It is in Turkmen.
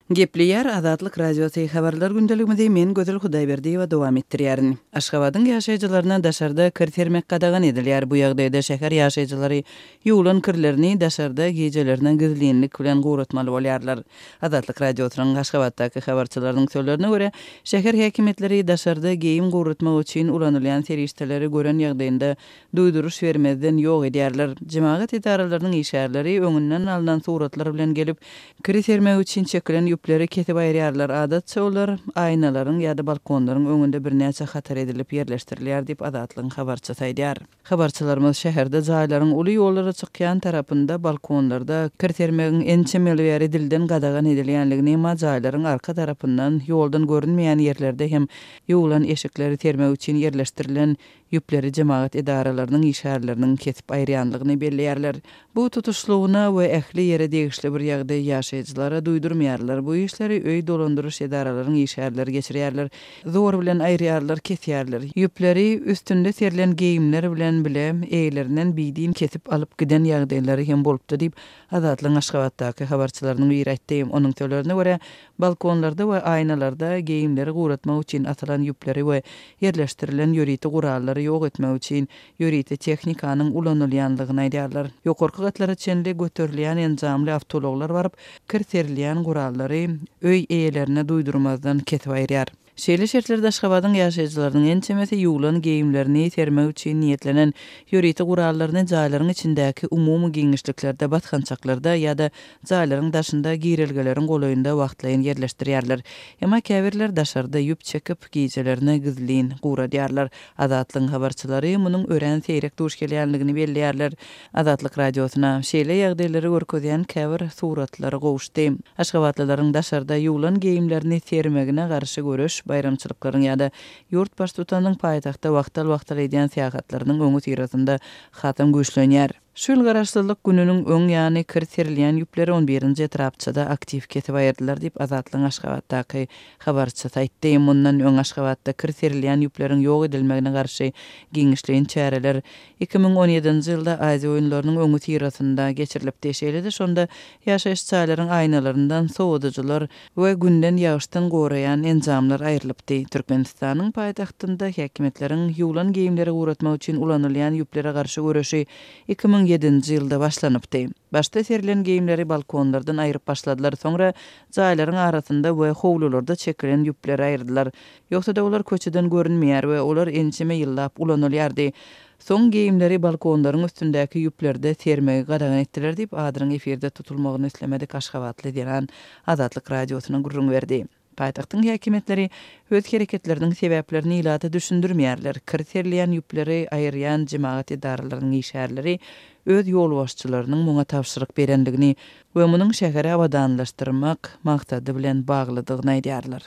Gepleýär Azatlyk Radiosy, Habarlar gündeligimizi men Gözel Hudaýberdiýewa dowam etdirýärin. Aşgabadyň ýaşaýjylaryna daşarda kir sermek gadagan edilýär. Bu ýagdaýda şäher ýaşaýjylary ýuwlan kirlerini daşarda gijelerine gizlinlik bilen guratmaly bolýarlar. Azatlyk Radiosynyň Aşgabatdaky habarçylarynyň sözlerine görä, şäher häkimiýetleri daşarda geýim guratmak üçin ulanylýan serişdeleri gören ýagdaýynda duýduryş bermezden ýok edýärler. Jemagat edaralarynyň işgärleri öňünden alnan suratlar bilen gelip, kiri sermek üçin çekilen ýüpleri kesip aýyrýarlar. Adatça olar aýnalaryň ýa-da balkonlaryň öňünde birnäçe hatar edilip ýerleşdirilýär diýip, Azatlygyň habarçysy aýdýar. Habarçylarymyz şäherde jaýlaryň uly ýollara çykýan tarapynda balkonlarda kir sermegiň ençeme ýyl bäri dilden gadagan edilýänligini, emma jaýlaryň arka tarapyndan, ýoldan görünmeýän ýerlerde hem ýuwlan eşikleri sermek üçin ýerleşdirilen ýüpleri jemagat edaralarynyň işgärleriniň kesip aýyrýanlygyny belleýärler. Bu tutuşlygyna we ähli ýere degişli bir ýagdaý ýaşaýjylara duýdurmaýarlar. Bu işleri öý dolandyryş edaralaryň işgärleri geçirýärler. Zor bilen aýyrýarlar, kesýärler. Ýüpleri üstünde serilen geýimler bilen bile eýelerinden bidin kesip alyp giden ýagdaýlary hem bolupdy diýip, Azatlygyň Aşgabatdaky habarçylarynyň biri aýtdy. Onuň sözlerine görä, balkonlarda we aýnalarda geýimleri guratmak üçin asylan ýüpleri we ýerleşdirilen ýörite gurallary ýok etmek üçin ýörite tehnikanyň ulanylýanlygyny aýdýarlar. Ýokarky gatlara çenli göterilýän enjamly awtoulaglar baryp, kir serilýän gurallary öý eýelerine duýdurmazdan kesip aýyrýar. Şeýle şertlerde Aşgabadyň ýaşaýjylarynyň ençemesi ýuwlan geýimlerini sermek üçin niýetlenen ýörite gurallaryny jaýlaryň içindäki umumy giňişliklerde, basgançaklarda ýa-da jaýlaryň daşynda girelgeleriň golaýynda wagtlaýyn ýerleşdirýärler. Emma käbirler daşarda ýüp çekip, gijelerine gizlin guradýarlar. Azatlygyň habarçylary munuň örän seýrek duş gelýänligini belleýärler. Azatlyk Radiosyna şeýle ýagdaýlary görkezýän käbir suratlar gowuşdy. Aşgabatlylaryň daşarda ýuwlan geýimlerini sermegine garşy göreş baýramçylyklaryň ýa-da ýurt Baştutanynyň paýtagta wagtal-wagtal edýän syýahatlarynyň öňüsyrasynda hasam güýçlenýär. Şu ýyl Garaşsyzlyk gününiň öň ýany kir serilýän ýüpleri on birinji etrapçada aktiw kesip aýyrdylar diýip, Azatlygyň Aşgabatdaky habarçysy aýtdy. Mundan öň Aşgabatda kir serilýän ýüpleriň ýok edilmegine garşy giňişleýin çäreler 2017-nji ýylda Aziýa oýunlarynyň öňüsyrasynda geçirilipdi. Şeýle-de şonda ýaşaýyş jaýlaryň aýnalaryndan sowadyjylar we günden, ýagyşdan goraýan enjamlar aýrylypdy. Türkmenistanyň paýtagtynda häkimiýetleriň ýuwlan geýimleri guratmak üçin ulanylýan ýüplere garşy göreşi 2007-nji ýylda başlanypdy. Başda serilen geýimleri balkonlardan aýryp başladylar, soňra jaýlaryň arasynda we howlularda çekilen ýüpleri aýyrdylar. Ýogsa-da olar köçeden görünmeýär we olar ençeme ýyllap ulanylýardy. Soň geýimleri balkonlaryň üstündäki ýüplerde sermegi gadagan etdiler diýip, adynyň efirde tutulmagyny islemedik aşgabatly zenan Azatlyk Radiosyna gürrüň berdi. Paýtagtyň häkimiýetleri öz hereketleriniň sebäplerini ilata düşündirmeýärler. Kir serilýän ýüpleri aýyrýan jemagat edaralarynyň işgärleri öz ýolbaşçylarynyň muňa tabşyryk berendigini we munuň şäheri abadanlaşdyrmak maksady bilen baglydygyny aýdýarlar.